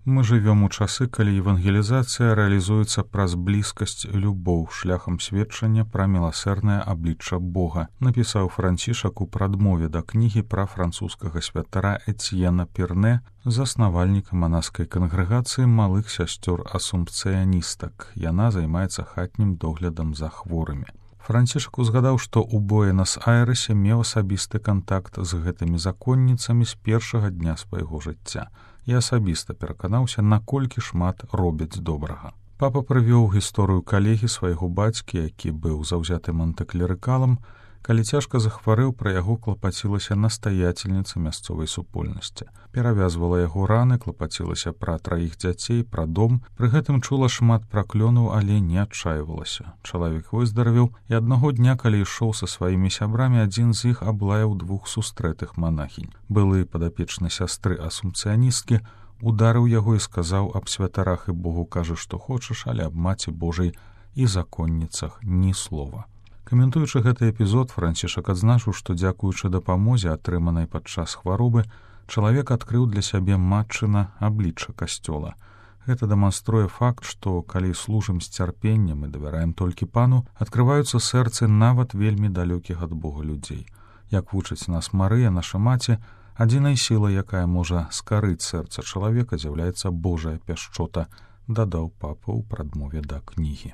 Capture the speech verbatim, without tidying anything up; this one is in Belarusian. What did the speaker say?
Мы жывём у часы, калі евангелізацыя рэалізуецца праз блізкасць любоў шляхам сведчання пра міласэрнае аблічча Бога, напісаў Францішак у прадмове да кнігі пра французскага святара Эцьена Перне, заснавальніка манаскай кангрэгацыі малых сясцёр асумпцыяністак. Яна займаецца хатнім доглядам за хворымі. Францішак узгадаў, што ў Буэнас-Айрэсе меў асабісты кантакт з гэтымі законніцамі з першага дня свайго жыцця і асабіста пераканаўся, наколькі шмат робяць добрага. Папа прывёў гісторыю калегі свайго бацькі, які быў заўзятым антыклерыкалам. Калі цяжка захварэў, пра яго клапацілася настаяцельніца мясцовай супольнасці. Перавязвала яго раны, клапацілася пра траіх дзяцей, пра дом. Пры гэтым чула шмат праклёнаў, але не адчайвалася. Чалавек выздаравеў, і аднаго дня, калі ішоў са сваімі сябрамі, адзін з іх аблаяў двух сустрэтых манахінь. Былы падапечны сястры асумпцыяністкі ударыў яго і сказаў: аб святарах і Богу кажы, што хочаш, але аб Маці Божай і законніцах ні слова. Каментуючы гэты эпізод, Францішак адзначыў, што дзякуючы дапамозе, атрыманай падчас хваробы, чалавек адкрыў для сябе матчына аблічча касцёла. Гэта дэманструе факт, што калі служым з цярпеннем і давяраем толькі Пану, адкрываюцца сэрцы нават вельмі далёкіх ад Бога людзей. Як вучыць нас Марыя, наша маці, адзінай сілай, якая можа скарыць сэрца чалавека, з'яўляецца Божая пяшчота, дадаў папа ў прадмове да кнігі.